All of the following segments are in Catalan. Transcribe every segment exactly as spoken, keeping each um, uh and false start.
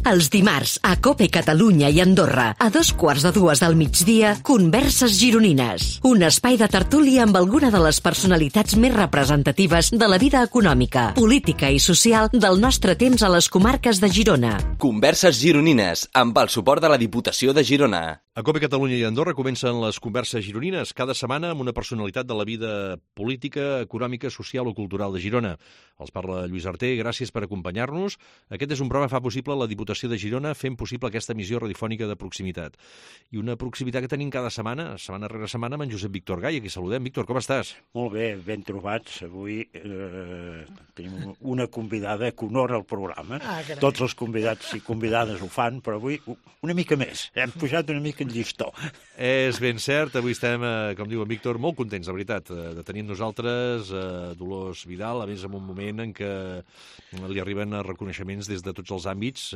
Els dimarts, a COPE Catalunya i Andorra, a dos quarts de dues del migdia, Converses Gironines. Un espai de tertúlia amb alguna de les personalitats més representatives de la vida econòmica, política i social del nostre temps a les comarques de Girona. Converses Gironines, amb el suport de la Diputació de Girona. A COPE Catalunya i Andorra comencen les Converses Gironines, cada setmana amb una personalitat de la vida política, econòmica, social o cultural de Girona. Els parla Lluís Arter, gràcies per acompanyar-nos. Aquest és un programa que fa possible la Diputació de Girona fent possible aquesta emissió radiofònica de proximitat. I una proximitat que tenim cada setmana, setmana rere setmana, amb en Josep Víctor Gai. Aquí saludem. Víctor, com estàs? Molt bé, ben trobats. Avui eh, tenim una convidada que honora el programa. Ah, Tots els convidats i convidades ho fan, però avui una mica més. Hem pujat una mica el llistó. És ben cert. Avui estem, eh, com diu en Víctor, molt contents, la veritat, de tenir amb nosaltres eh, Dolors Vidal, a més en un moment en què li arriben reconeixements des de tots els àmbits,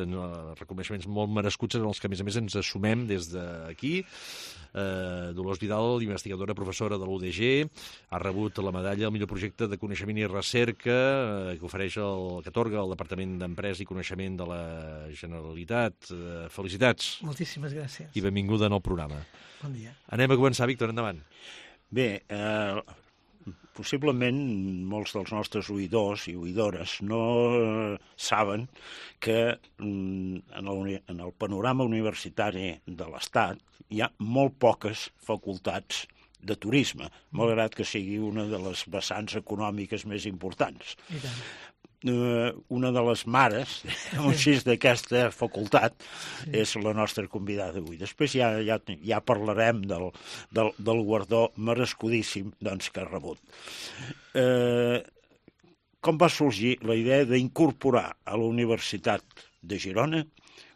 reconeixements molt merescuts en els que, a més a més, ens assumem des d'aquí. Eh, Dolors Vidal, investigadora, professora de l'U D G, ha rebut la medalla al millor projecte de coneixement i recerca eh, que ofereix el, que atorga el Departament d'Empresa i Coneixement de la Generalitat. Eh, felicitats. Moltíssimes gràcies. I benvinguda en el programa. Bon dia. Anem a començar, Víctor, endavant. Bé, eh, possiblement molts dels nostres oïdors i oïdores no eh, saben que mm, en, el, en el panorama universitari de l'Estat hi ha molt poques facultats de turisme, malgrat que sigui una de les vessants econòmiques més importants. I tant. Uh, una de les mares així d'aquesta facultat sí. és la nostra convidada d'avui. Després ja, ja, ja parlarem del, del, del guardó merescudíssim doncs, que ha rebut. Uh, com va sorgir la idea d'incorporar a la Universitat de Girona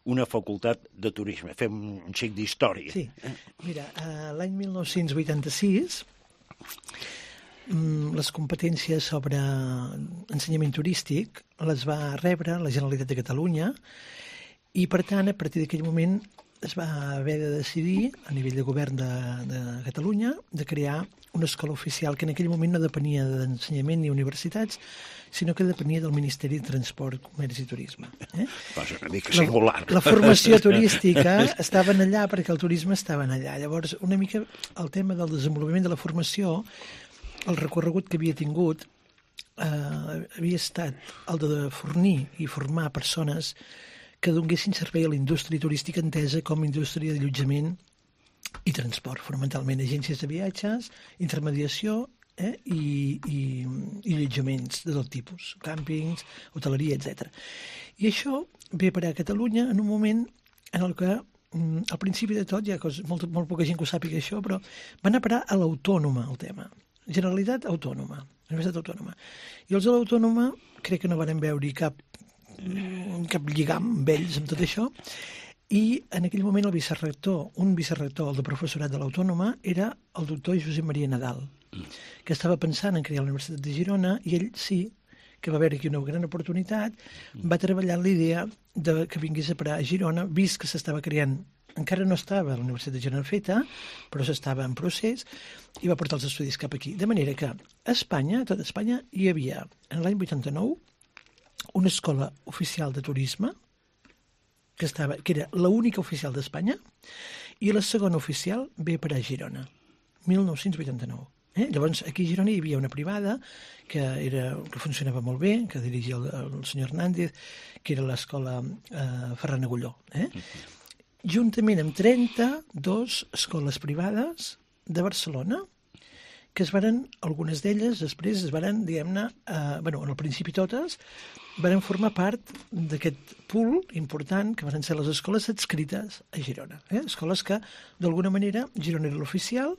una facultat de turisme? Fem un xic d'història. Sí, mira, uh, l'any mil nou-cents vuitanta-sis les competències sobre ensenyament turístic les va rebre la Generalitat de Catalunya i, per tant, a partir d'aquell moment es va haver de decidir, a nivell de govern de, de Catalunya, de crear una escola oficial que en aquell moment no depenia d'ensenyament ni universitats, sinó que depenia del Ministeri de Transport, Comerç i Turisme. Eh? Passa una mica singular. La, la formació turística estava allà perquè el turisme estava allà. Llavors, una mica el tema del desenvolupament de la formació, el recorregut que havia tingut eh, havia estat el de fornir i formar persones que donguessin servei a la indústria turística entesa com a indústria d'allotjament i transport, fonamentalment agències de viatges, intermediació eh, i, i, i allotjaments de tot tipus, càmpings, hoteleria, etcètera. I això ve per a Catalunya en un moment en el que al principi de tot, hi ha coses, molt, molt poca gent que ho sàpiga això, però va anar a parar a l'Autònoma el tema. Generalitat Autònoma, Universitat Autònoma. I els de l'Autònoma crec que no van veure cap, cap lligam amb ells, amb tot això, i en aquell moment el vicerrector, un vicerrector, el de professorat de l'Autònoma, era el doctor Josep Maria Nadal, que estava pensant en crear la Universitat de Girona, i ell sí que va veure aquí una gran oportunitat, va treballar en l'idea de que vingués a parar a Girona, vist que s'estava creant. Encara no estava a la Universitat de Girona feta, però s'estava en procés, i va portar els estudis cap aquí. De manera que a Espanya, a tot Espanya, hi havia, en l'any vuitanta-nou, una escola oficial de turisme, que, estava, que era l'única oficial d'Espanya, i la segona oficial ve per a Girona, mil nou-cents vuitanta-nou. Eh? Llavors, aquí a Girona hi havia una privada que, era, que funcionava molt bé, que dirigia el, el senyor Hernández, que era l'escola eh, Ferran Agulló, eh? Juntament amb trenta-dues escoles privades de Barcelona, que es varen, algunes d'elles, després es varen, diguem-ne, eh, bueno, en el principi totes, varen formar part d'aquest pool important que van ser les escoles adscrites a Girona. Eh? Escoles que, d'alguna manera, Girona era l'oficial,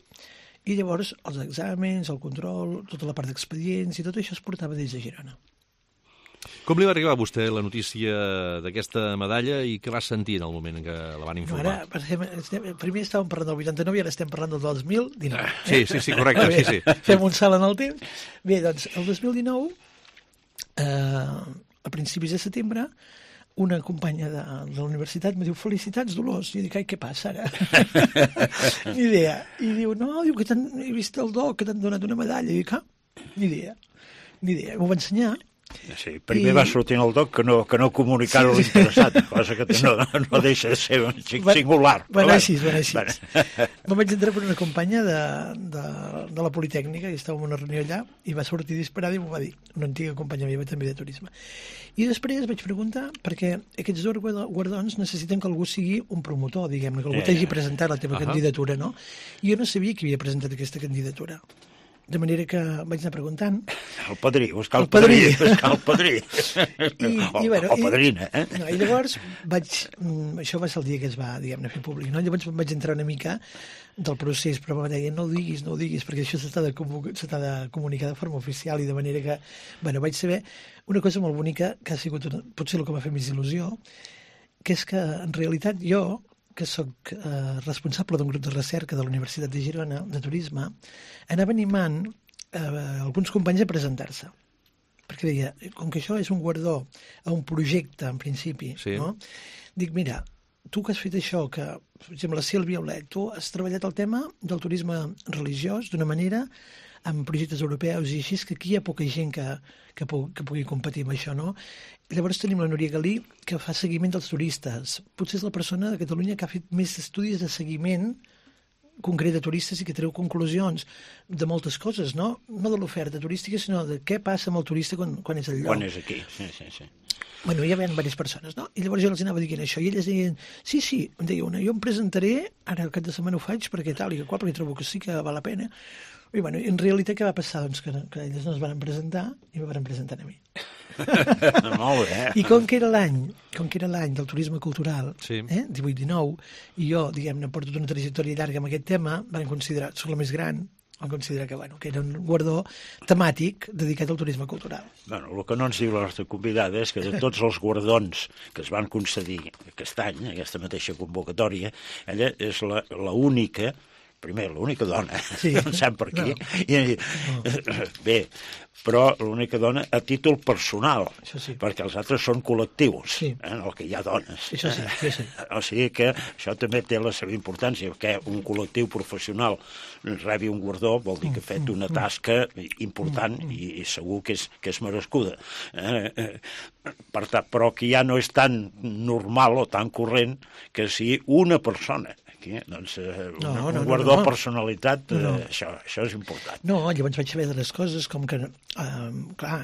i llavors els exàmens, el control, tota la part d'expedients i tot això es portava des de Girona. Com li va arribar a vostè la notícia d'aquesta medalla i què va sentir en el moment en què la van informar? Ara, estem, primer estàvem parlant del vuitanta-nou i ara estem parlant del dos mil dinou. Eh? Sí, sí, sí, correcte. Bé, sí, sí. Fem un salt en el temps. Bé, doncs, el dos mil dinou, eh, a principis de setembre, una companya de, de la universitat me diu, felicitats, Dolors. I jo dic, ai, què passa ara? Ni idea. I diu, no, diu que he vist el doc, que t'han donat una medalla. I dic, ah, ni idea. Ni idea. M'ho va ensenyar. Sí, primer I... va sortir el doc que no, que no comunicar-ho sí, sí. Interessat, cosa que no, no deixa de ser un singular. Va anar així, va anar així. Me'n vaig entrar per una companya de, de, de la Politécnica, i estava en una reunió allà, i va sortir disparada i m'ho va dir, una antiga companya meva també de turisme. I després vaig preguntar, perquè aquests dos guardons necessiten que algú sigui un promotor, diguem-ne, que algú t'hagi presentat la teva uh -huh. candidatura, no? I jo no sabia qui havia presentat aquesta candidatura. De manera que vaig anar preguntant... El padrí, buscar el, el padrí, padrí. buscar el padrí. I, o, i, bueno, o padrina, eh? I, no, I llavors vaig... Això va ser el dia que es va, diguem-ne, fer públic, no? Llavors vaig entrar una mica del procés, però em deia, no ho diguis, no ho diguis, perquè això s'ha de, de comunicar de forma oficial, i de manera que... Bueno, vaig saber una cosa molt bonica, que ha sigut una, potser el que m'ha fet més il·lusió, que és que, en realitat, jo, que sóc eh, responsable d'un grup de recerca de la Universitat de Girona, de turisme, anava animant eh, alguns companys a presentar-se. Perquè deia, com que això és un guardó a un projecte, en principi, sí. no? Dic, mira, tu que has fet això, que, per exemple, la Sílvia Olet, tu has treballat el tema del turisme religiós d'una manera amb projectes europeus i així, que aquí hi ha poca gent que, que, pu que pugui competir amb això, no? Llavors tenim la Núria Galí, que fa seguiment dels turistes. Potser és la persona de Catalunya que ha fet més estudis de seguiment concret de turistes i que treu conclusions de moltes coses, no? No de l'oferta turística, sinó de què passa amb el turista quan, quan és al lloc. Quan és aquí, sí, sí, sí. Bueno, hi havia diverses persones, no? I llavors jo els anava dient això, i elles deien, sí, sí, em deia una, jo em presentaré, ara el cap de setmana ho faig, perquè tal i que qual, perquè trobo que sí que val la pena. I bueno, en realitat què va passar? Doncs que, que elles no es van presentar i me van presentar a mi. Molt bé. I com que era l'any, com que era l'any del turisme cultural, sí. eh, divuit dinou, i jo, diguem-ne, porto tota una trajectòria llarga amb aquest tema, van considerar, soc la més gran, van considerar que, bueno, que era un guardó temàtic dedicat al turisme cultural. Bueno, el que no ens diu la nostra convidada és que de tots els guardons que es van concedir aquest any, aquesta mateixa convocatòria, ella és l'única, primer, l'única dona, sí. no en sap per aquí, no. I, no. bé, però l'única dona a títol personal, sí. perquè els altres són col·lectius, sí. eh, en el que hi ha dones. Això sí, sí, sí. O sigui que això també té la seva importància, que un col·lectiu professional rebi un guardó vol dir que ha fet una tasca important i, i segur que és, que és merescuda. Eh, eh, per tant, però que ja no és tan normal o tan corrent que si una persona aquí, doncs, eh, no, un, no, un guardó no, no. personalitat, eh, no. això, això és important. No, llavors vaig saber de les coses com que, eh, clar,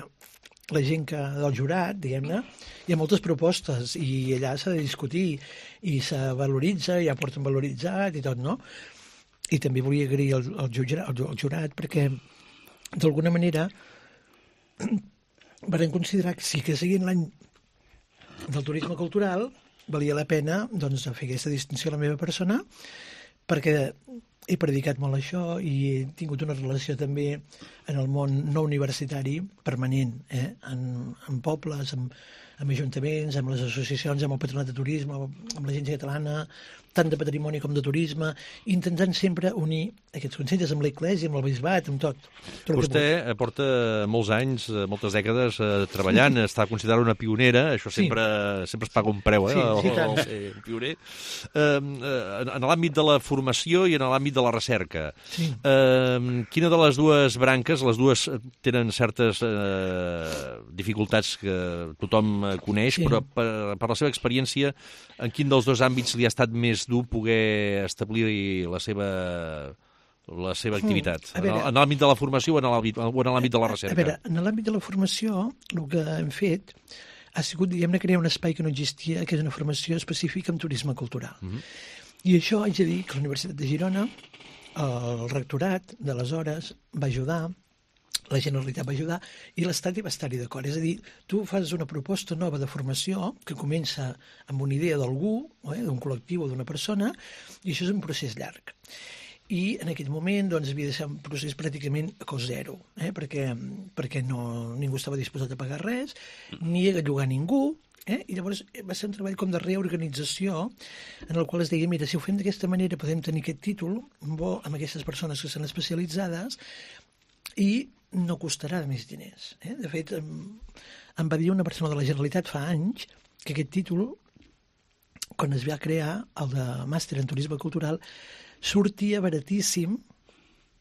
la gent que del jurat, diguem-ne, hi ha moltes propostes i allà s'ha de discutir i se valoritza, ja porten valoritzat i tot, no? I també volia agrair el, el, jurat, el, el jurat perquè, d'alguna manera, van considerar que sí que seguint l'any del turisme cultural valia la pena doncs, fer aquesta distinció a la meva persona perquè he predicat molt això i he tingut una relació també en el món no universitari permanent, eh? en, en pobles, amb, amb ajuntaments, amb les associacions, amb el Patronat de Turisme, amb l'Agència Catalana, tant de patrimoni com de turisme, intentant sempre unir aquests consells amb l'Església, amb el Bisbat, amb tot. tot Vostè porta molts anys, moltes dècades eh, treballant, està considerada una pionera, això sempre, sí. sempre es paga un preu, eh? Sí, sí, el, el, el, el pioner. Eh, en l'àmbit de la formació i en l'àmbit de la recerca, sí. eh, quina de les dues branques, les dues tenen certes eh, dificultats que tothom coneix, sí. però per, per la seva experiència, en quin dels dos àmbits li ha estat més dur poder establir la seva, la seva activitat? Veure, en l'àmbit de la formació o en l'àmbit de la recerca? A veure, en l'àmbit de la formació, el que hem fet ha sigut, diguem-ne, crear un espai que no existia, que és una formació específica en turisme cultural. Uh-huh. I això haig de dir que la Universitat de Girona, el rectorat d'aleshores, va ajudar, la Generalitat va ajudar i l'Estat hi va estar-hi d'acord. És a dir, tu fas una proposta nova de formació que comença amb una idea d'algú, eh, d'un col·lectiu o d'una persona, i això és un procés llarg. I en aquell moment doncs, havia de ser un procés pràcticament a cost zero, eh, perquè, perquè no, ningú estava disposat a pagar res, ni a llogar ningú, eh? I llavors va ser un treball com de reorganització en el qual es deia, mira, si ho fem d'aquesta manera podem tenir aquest títol bo amb aquestes persones que són especialitzades i no costarà més diners. Eh? De fet, em, em va dir una persona de la Generalitat fa anys que aquest títol, quan es va crear, el de màster en turisme cultural, sortia baratíssim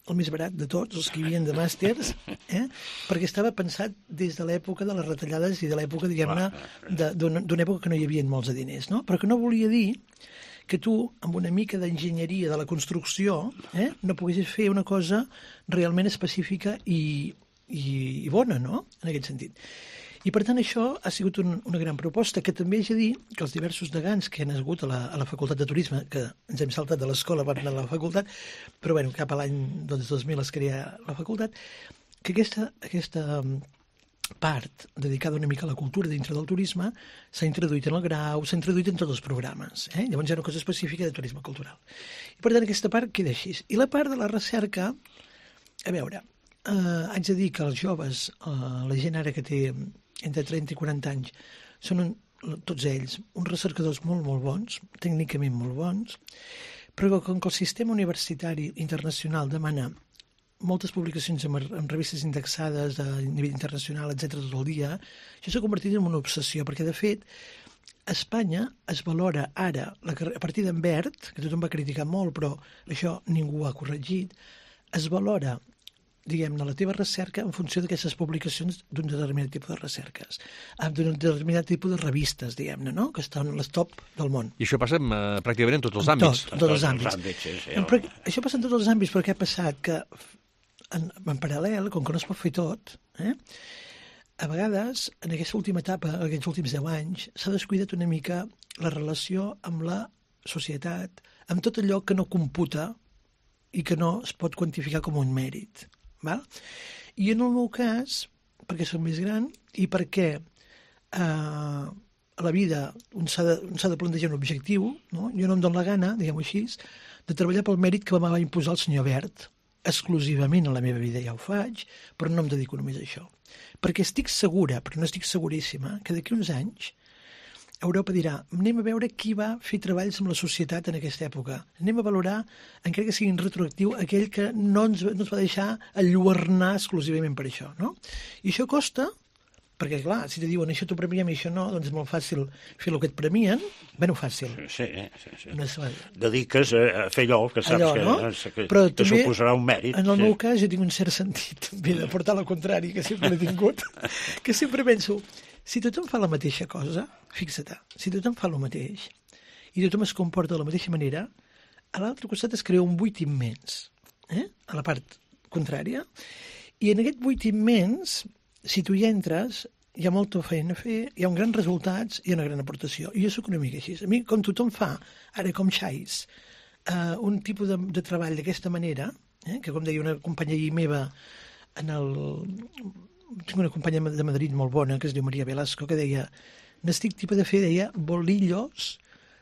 el més barat de tots, els que hi havia de màsters, eh? perquè estava pensat des de l'època de les retallades i de l'època, diguem-ne, d'una època que no hi havia molts de diners, no? Però que no volia dir que tu, amb una mica d'enginyeria de la construcció, eh, no poguessis fer una cosa realment específica i, i, i bona, no?, en aquest sentit. I, per tant, això ha sigut un, una gran proposta, que també haig de dir que els diversos degans que han hagut a la, a la Facultat de Turisme, que ens hem saltat de l'escola per anar a la facultat, però, bueno, cap a l'any doncs, dos mil es crea la facultat, que aquesta, aquesta part dedicada una mica a la cultura dintre del turisme s'ha introduït en el grau, s'ha introduït en tots els programes. Eh? Llavors hi ha una cosa específica de turisme cultural. I, per tant, aquesta part queda així. I la part de la recerca, a veure, eh, haig de dir que els joves, eh, la gent ara que té entre trenta i quaranta anys, són un, tots ells uns recercadors molt, molt bons, tècnicament molt bons, però com que el sistema universitari internacional demana moltes publicacions en, en revistes indexades a nivell internacional, etcètera, tot el dia, això s'ha convertit en una obsessió, perquè, de fet, a Espanya es valora ara, la, a partir d'en Bert, que tothom va criticar molt, però això ningú ha corregit, es valora, diguem-ne, la teva recerca en funció d'aquestes publicacions d'un determinat tipus de recerques, d'un determinat tipus de revistes, diguem-ne, no?, que estan a les top del món. I això passa en, uh, pràcticament en tots els àmbits. Tot, en tots els àmbits. àmbits sí, sí, però, això passa en tots els àmbits, però què ha passat? Que en, en paral·lel, com que no es pot fer tot, eh, a vegades, en aquesta última etapa, aquests últims deu anys, s'ha descuidat una mica la relació amb la societat, amb tot allò que no computa i que no es pot quantificar com un mèrit. Val? I en el meu cas, perquè soc més gran i perquè eh, a la vida un s'ha de, un s'ha de plantejar un objectiu, no? Jo no em dono la gana, diguem-ho així, de treballar pel mèrit que me va imposar el senyor Bert. Exclusivament a la meva vida ja ho faig, però no em dedico només a això. Perquè estic segura, però no estic seguríssima, que d'aquí uns anys Europa dirà, anem a veure qui va fer treballs amb la societat en aquesta època. Anem a valorar, encara que sigui retroactiu, aquell que no ens, no ens va deixar enlluernar exclusivament per això, no? I això costa, perquè, clar, si te diuen això t'ho premiem i això no, doncs és molt fàcil fer el que et premien. Bé, no fàcil. Sí, sí, sí. No és... Dediques a fer allò que saps allò, no? que, que, Però que també, suposarà un mèrit. En el sí. meu cas jo tinc un cert sentit també de portar al contrari, que sempre l'he tingut, que sempre penso, si tothom fa la mateixa cosa, fixa't, si tothom fa el mateix i tothom es comporta de la mateixa manera, a l'altre costat es crea un buit immens, eh? A la part contrària, i en aquest buit immens, si tu hi entres, hi ha molta feina a fer, hi ha uns grans resultats i una gran aportació. I jo soc una mica així. A mi, com tothom fa, ara com xais, uh, un tipus de, de treball d'aquesta manera, eh? Que com deia una companya meva, en el... tinc una companya de Madrid molt bona, que es diu Maria Velasco, que deia, n'estic tipus de fer, deia, bolillos,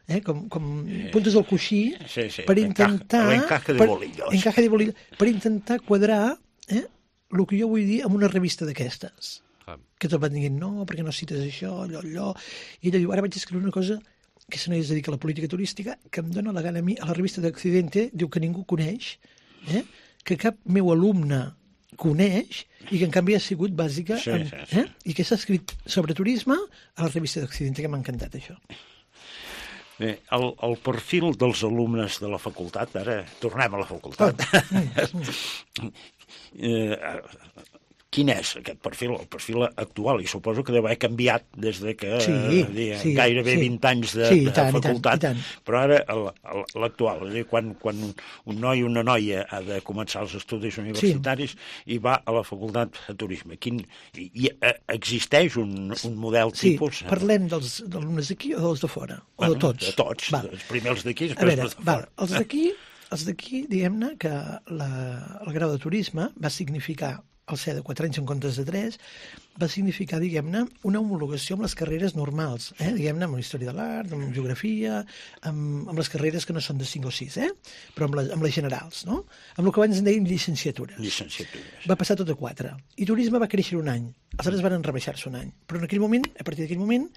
eh? com, com puntes del coixí, sí, sí. per intentar... L'encaje de bolillos. Per, encaje de bolillos, per intentar quadrar eh? el que jo vull dir amb una revista d'aquestes. Que tot van dient, no, perquè no cites això, allò, allò... I ella diu, ara vaig escriure una cosa que se no es dedica a la política turística, que em dóna la gana a mi, a la revista d'Accidente, diu que ningú coneix, eh? Que cap meu alumne coneix i que en canvi ha sigut bàsica sí, en, sí, sí. Eh? I que s'ha escrit sobre turisme a la revista d'Accidente, que m'ha encantat això. Bé, el, el perfil dels alumnes de la facultat, ara tornem a la facultat. Oh. eh, quin és aquest perfil? El perfil actual, i suposo que deu haver canviat des de que sí, dir, sí, gairebé sí. vint anys de, sí, de tant, facultat, i tant, i tant. Però ara l'actual, és a dir, quan, quan un noi o una noia ha de començar els estudis universitaris sí. i va a la facultat de turisme, quin, i, i existeix un, un model sí, tipus? Sí, parlem dels alumnes d'aquí o dels de fora? O bueno, de tots? De tots, val. Els primers d'aquí, després veure, els de fora. Val, els d'aquí, els d'aquí, diguem-ne que la, el grau de turisme va significar al ser de quatre anys en comptes de tres, va significar, diguem-ne, una homologació amb les carreres normals, eh? Diguem-ne, amb la història de l'art, amb geografia, amb, amb les carreres que no són de cinc o sis, eh? Però amb, la, amb les generals, no? Amb el que abans en dèiem llicenciatures. Llicenciatures. Va passar tot a quatre. I turisme va créixer un any. Els altres van rebaixar-se un any. Però en aquell moment, a partir d'aquell moment,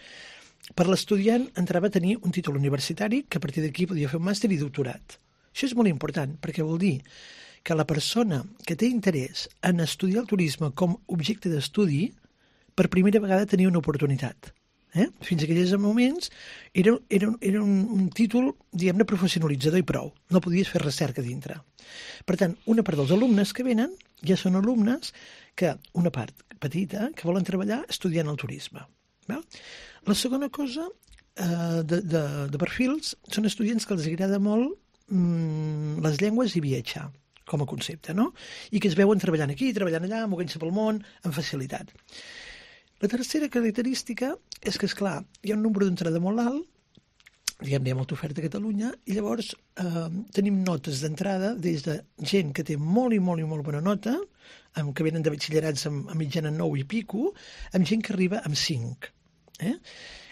per l'estudiant entrava a tenir un títol universitari que a partir d'aquí podia fer un màster i doctorat. Això és molt important, perquè vol dir que la persona que té interès en estudiar el turisme com objecte d'estudi, per primera vegada tenia una oportunitat. Eh? Fins a aquells moments era, era, era un, un títol, diguem-ne, professionalitzador i prou. No podies fer recerca dintre. Per tant, una part dels alumnes que venen ja són alumnes que, una part petita, que volen treballar estudiant el turisme. Val? La segona cosa eh, de, de, de perfils són estudiants que els agrada molt mm, les llengües i viatjar, com a concepte, no? I que es veuen treballant aquí, treballant allà, moguent-se pel món, amb facilitat. La tercera característica és que, esclar, hi ha un nombre d'entrada molt alt, diguem, hi ha molta oferta a Catalunya, i llavors eh, tenim notes d'entrada des de gent que té molt i molt i molt bona nota, amb, que venen de batxillerats amb, amb mitjana nou i pico, amb gent que arriba amb cinc. Eh?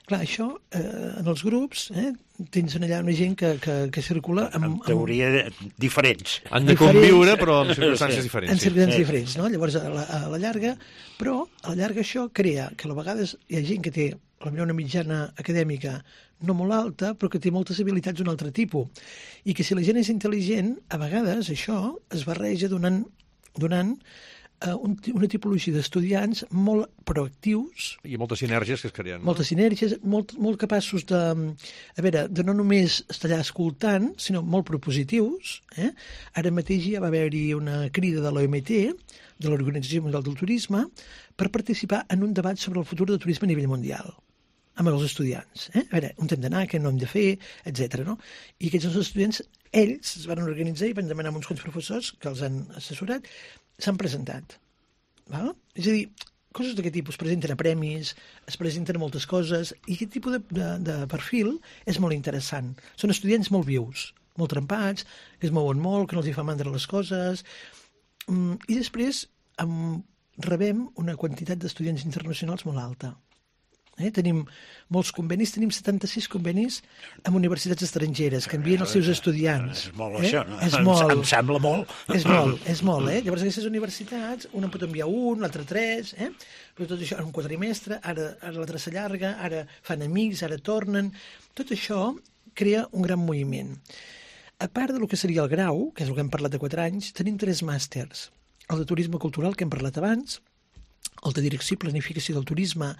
Clar, això, eh, en els grups, eh, tens allà una gent que, que, que circula amb... En teoria amb... diferents. Han de conviure, però amb circumstàncies diferents. En circumstàncies sí. diferents, no? Llavors, a la, a la llarga, però a la llarga això crea que a vegades hi ha gent que té potser una mitjana acadèmica no molt alta, però que té moltes habilitats d'un altre tipus. I que si la gent és intel·ligent, a vegades això es barreja donant, donant Uh, un, una tipologia d'estudiants molt proactius. I moltes sinergies que es creen. No? Moltes sinergies, molt, molt capaços de, a veure, de no només estar allà escoltant, sinó molt propositius. Eh? Ara mateix ja va haver-hi una crida de l'O M T, de l'Organització Mundial del Turisme, per participar en un debat sobre el futur del turisme a nivell mundial amb els estudiants. Eh? A veure, on hem d'anar, què no hem de fer, etcètera. No? I aquests estudiants, ells es van organitzar i van demanar a uns quants professors que els han assessorat, s'han presentat. Val? És a dir, coses d'aquest tipus, es presenten a premis, es presenten a moltes coses, i aquest tipus de, de, de perfil és molt interessant. Són estudiants molt vius, molt trempats, que es mouen molt, que no els hi fa mandra les coses, i després um, rebem una quantitat d'estudiants internacionals molt alta. Eh? Tenim molts convenis, tenim setanta-sis convenis amb universitats estrangeres que envien els seus estudiants. És molt, eh? això, no? És molt. Em sembla molt. És molt, és molt, eh? Llavors aquestes universitats, una en pot enviar un, l'altre tres, eh? Però tot això en un quadrimestre, ara, ara l'altre s'allarga, ara fan amics, ara tornen. Tot això crea un gran moviment. A part del que seria el grau, que és el que hem parlat de quatre anys, tenim tres màsters. El de turisme cultural, que hem parlat abans, el de direcció i planificació del turisme,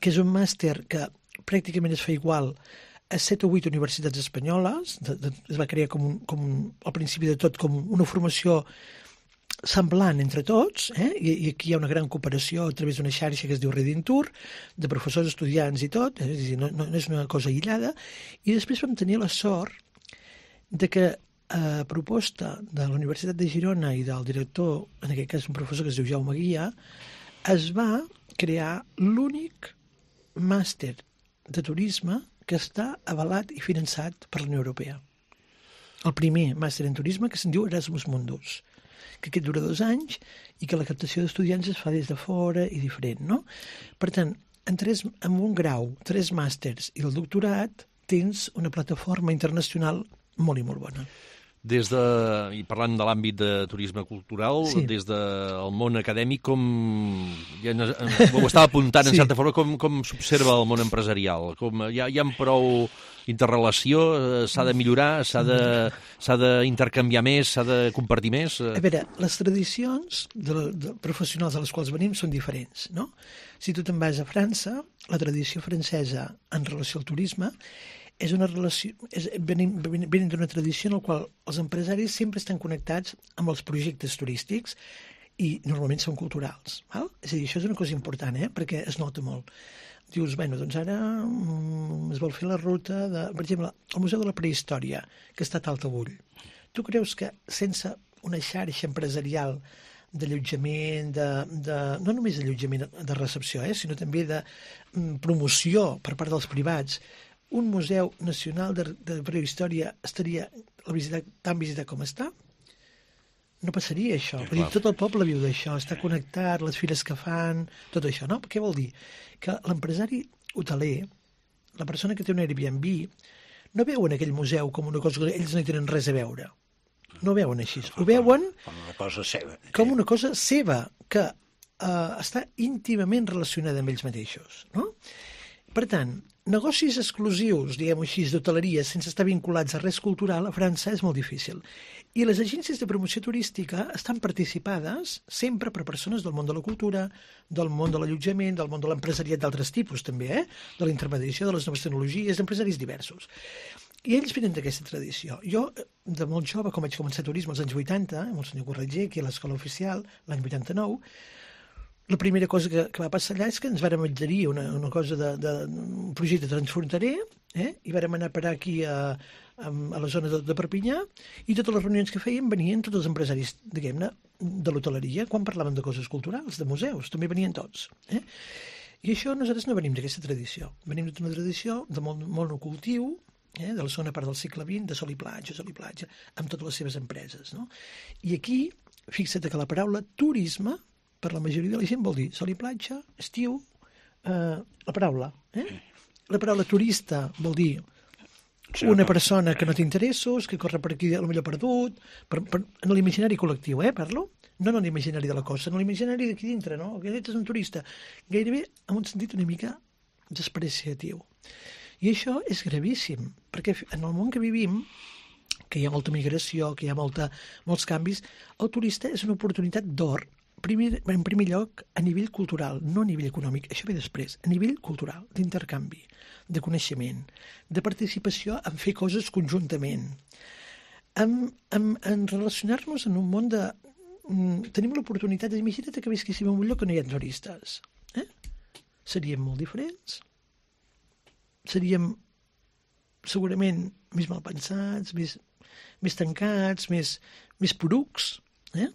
que és un màster que pràcticament es fa igual a set o vuit universitats espanyoles. De, de, es va crear com, un, com un, al principi de tot com una formació semblant entre tots, eh? I, i aquí hi ha una gran cooperació a través d'una xarxa que es diu Redintur, de professors, estudiants i tot, és a dir, no, no, no és una cosa aïllada. I després vam tenir la sort de que a proposta de la Universitat de Girona i del director, en aquest cas un professor que es diu Jaume Guia, es va crear l'únic màster de turisme que està avalat i finançat per la Unió Europea. El primer màster en turisme, que se'n diu Erasmus Mundus, que aquest dura dos anys i que la captació d'estudiants es fa des de fora i diferent, no? Per tant, en, tres, en un grau, tres màsters i el doctorat, tens una plataforma internacional molt i molt bona. Des de, i parlant de l'àmbit de turisme cultural, sí. Des del món acadèmic, com ja ho estava apuntant en sí. certa forma, com, com s'observa el món empresarial? Com, hi ha, hi ha prou interrelació? S'ha de millorar? S'ha d'intercanviar més? S'ha de compartir més? A veure, les tradicions de, de professionals a les quals venim són diferents, no? Si tu te'n vas a França, la tradició francesa en relació al turisme és una relació, és, venim, venim d'una tradició en la qual els empresaris sempre estan connectats amb els projectes turístics i normalment són culturals. Val? És a dir, això és una cosa important, eh? Perquè es nota molt. Dius, bueno, doncs ara mm, es vol fer la ruta de, per exemple, el Museu de la Prehistòria, que està a Taltabull. Tu creus que sense una xarxa empresarial d'allotjament, de, de, no només d'allotjament de recepció, eh, sinó també de mm, promoció per part dels privats, un museu nacional de, de prehistòria estaria la visita, tan visitat com està? No passaria això. Sí, dir, tot el poble viu d'això, està connectat, les fires que fan, tot això, no? Què vol dir? Que l'empresari hoteler, la persona que té un Airbnb, no veuen aquell museu com una cosa que ells no hi tenen res a veure. No ho veuen així. Ho veuen com una cosa seva. Com una cosa seva, que eh, està íntimament relacionada amb ells mateixos, no? Per tant, negocis exclusius, diguem-ho així, d'hoteleria, sense estar vinculats a res cultural, a França és molt difícil. I les agències de promoció turística estan participades sempre per persones del món de la cultura, del món de l'allotjament, del món de l'empresariat d'altres tipus també, eh? De la intermediació, de les noves tecnologies, d'empresaris diversos. I ells venen d'aquesta tradició. Jo, de molt jove, com vaig començar turisme als anys vuitanta, amb el senyor Corretger, aquí a l'Escola Oficial, l'any vuitanta-nou, la primera cosa que, que va passar allà és que ens vàrem adherir una, una cosa de, de, un projecte transfronterer, eh? I vàrem anar a parar aquí a, a, a la zona de, de Perpinyà, i totes les reunions que fèiem venien tots els empresaris, diguem-ne, de l'hoteleria, quan parlaven de coses culturals, de museus, també venien tots. Eh? I això nosaltres no venim d'aquesta tradició. Venim d'una tradició de molt, molt no cultiu, eh? De la segona part del segle vint, de sol i platja, sol i platja, amb totes les seves empreses. No? I aquí, fixa't que la paraula turisme, per la majoria de la gent vol dir sol i platja, estiu, eh, la paraula. Eh? La paraula turista vol dir una persona que no té interessos, que corre per aquí potser perdut, per, per, en l'imaginari col·lectiu, eh, parlo? No en l'imaginari de la cosa, en l'imaginari d'aquí dintre, no? Que ets un turista. Gairebé en un sentit una mica despreciatiu. I això és gravíssim, perquè en el món que vivim, que hi ha molta migració, que hi ha molta, molts canvis, el turista és una oportunitat d'or. Primer, en primer lloc, a nivell cultural, no a nivell econòmic, això ve després, a nivell cultural, d'intercanvi, de coneixement, de participació en fer coses conjuntament, en, en, en relacionar-nos en un món de... Tenim l'oportunitat, imagina't que visquéssim en un lloc que no hi ha turistes. Eh? Seríem molt diferents, seríem segurament més malpensats, més, més tancats, més, més porucs. Eh?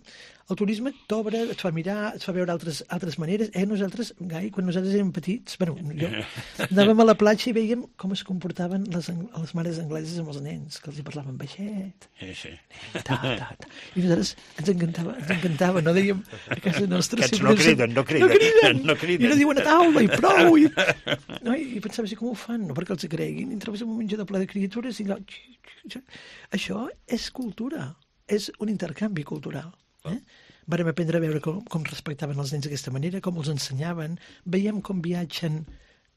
El turisme t'obre, et fa mirar, et fa veure altres, altres maneres. Eh, nosaltres, Gai, quan nosaltres érem petits, bueno, jo, anàvem a la platja i veiem com es comportaven les, les mares angleses amb els nens, que els hi parlaven baixet. Sí, sí. Ta, ta, ta. I nosaltres ens encantava, ens encantava, no dèiem a casa nostra... Aquests no criden, no criden, no criden, no criden. I no diuen a taula i prou. I, no, i pensaves, com ho fan? No perquè els creguin. I entraves en un menjador ple de criatures i allò... Això és cultura, és un intercanvi cultural. Eh? Vàrem aprendre a veure com, com respectaven els nens d'aquesta manera, com els ensenyaven. Veiem com viatgen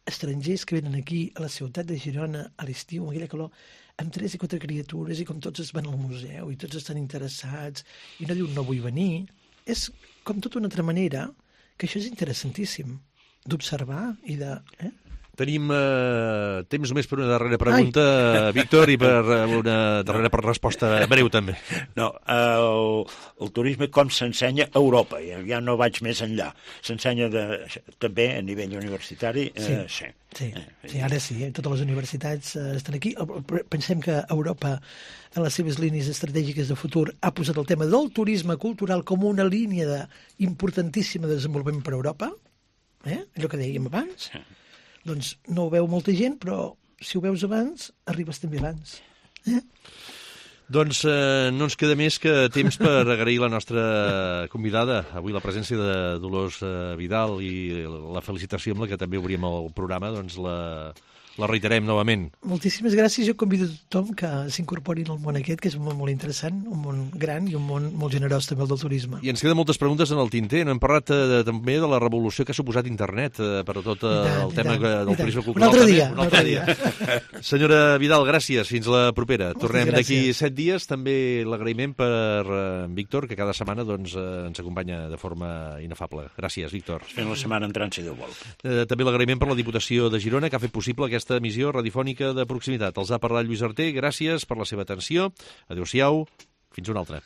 estrangers que venen aquí a la ciutat de Girona a l'estiu, amb aquella calor, amb tres i quatre criatures, i com tots es van al museu i tots estan interessats i no diuen no vull venir. És com tota una altra manera, que això és interessantíssim d'observar i de... Eh? Tenim eh, temps només per una darrera pregunta, Ai. Víctor, i per una darrera per resposta breu, també. No, el, el turisme com s'ensenya a Europa, ja, ja no vaig més enllà. S'ensenya de, també a nivell universitari. Sí, eh, sí. Sí, sí, ara sí, eh? Totes les universitats eh, estan aquí. Pensem que Europa, en les seves línies estratègiques de futur, ha posat el tema del turisme cultural com una línia de, importantíssima de desenvolupament per a Europa, eh? Allò que dèiem abans. Sí. Doncs no ho veu molta gent, però si ho veus abans, arribes també abans. Eh? Doncs eh, no ens queda més que temps per agrair la nostra convidada, avui la presència de Dolors eh, Vidal, i la felicitació amb la que també obrim el programa, doncs la... la reiterem novament. Moltíssimes gràcies. Jo convido a tothom que s'incorporin al món aquest, que és un món molt interessant, un món gran i un món molt generós també el del turisme. I ens queden moltes preguntes en el tinter. No hem parlat eh, també de la revolució que ha suposat internet eh, per a tot eh, tant, el tema tant, del turisme cultural. Un altre dia. Un altre dia. dia. Senyora Vidal, gràcies. Fins la propera. Moltes Tornem d'aquí set dies. També l'agraïment per eh, Víctor, que cada setmana doncs, eh, ens acompanya de forma inefable. Gràcies, Víctor. Fem la setmana entrant, si Déu vol. Eh, també l'agraïment per la Diputació de Girona, que ha fet possible aquesta aquesta emissió radiofònica de proximitat. Els ha parlat Lluís Arter, gràcies per la seva atenció. Adéu-siau, fins una altra.